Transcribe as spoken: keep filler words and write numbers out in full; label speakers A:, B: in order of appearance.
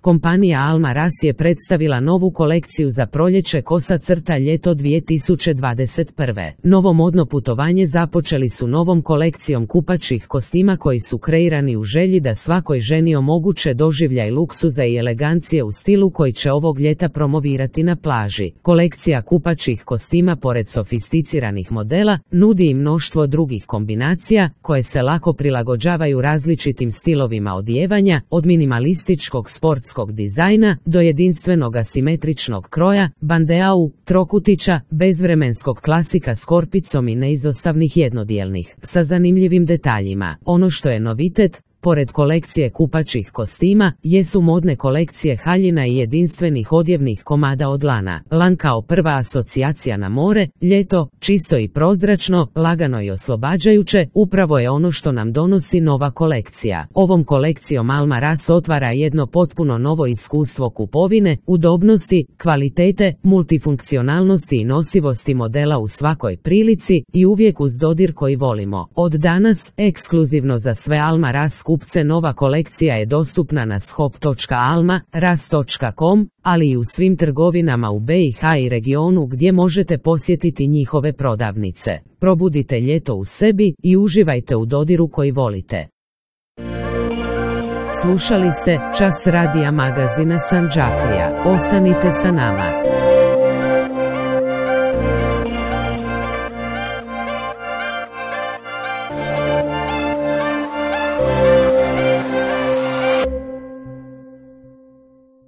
A: Kompanija Alma Ras je predstavila novu kolekciju za proljeće kosa crta ljeto dvije tisuće dvadeset prve. Novo modno putovanje započeli su novom kolekcijom kupaćih kostima koji su kreirani u želji da svakoj ženi omoguće doživljaj luksuza i elegancije u stilu koji će ovog ljeta promovirati na plaži. Kolekcija kupaćih kostima pored sofisticiranih modela nudi i mnoštvo drugih kombinacija koje se lako prilagođavaju različitim stilovima odijevanja, od minimalističkog sportskog dizajna do jedinstvenog asimetričnog kroja, bandeau, trokutića, bezvremenskog klasika s korpicom i neizostavnih jednodijelnih, sa zanimljivim detaljima. Ono što je novitet, pored kolekcije kupaćih kostima, jesu modne kolekcije haljina i jedinstvenih odjevnih komada od lana. Lan kao prva asocijacija na more, ljeto, čisto i prozračno, lagano i oslobađajuće, upravo je ono što nam donosi nova kolekcija. Ovom kolekcijom Alma Ras otvara jedno potpuno novo iskustvo kupovine, udobnosti, kvalitete, multifunkcionalnosti i nosivosti modela u svakoj prilici i uvijek uz dodir koji volimo. Od danas, ekskluzivno za sve Alma Ras kupce nova kolekcija je dostupna na shop točka alma ras točka com, ali i u svim trgovinama u be i ha i regionu gdje možete posjetiti njihove prodavnice. Probudite ljeto u sebi i uživajte u dodiru koji volite. Slušali ste Čas radija magazina Sandžaklija. Ostanite sa nama.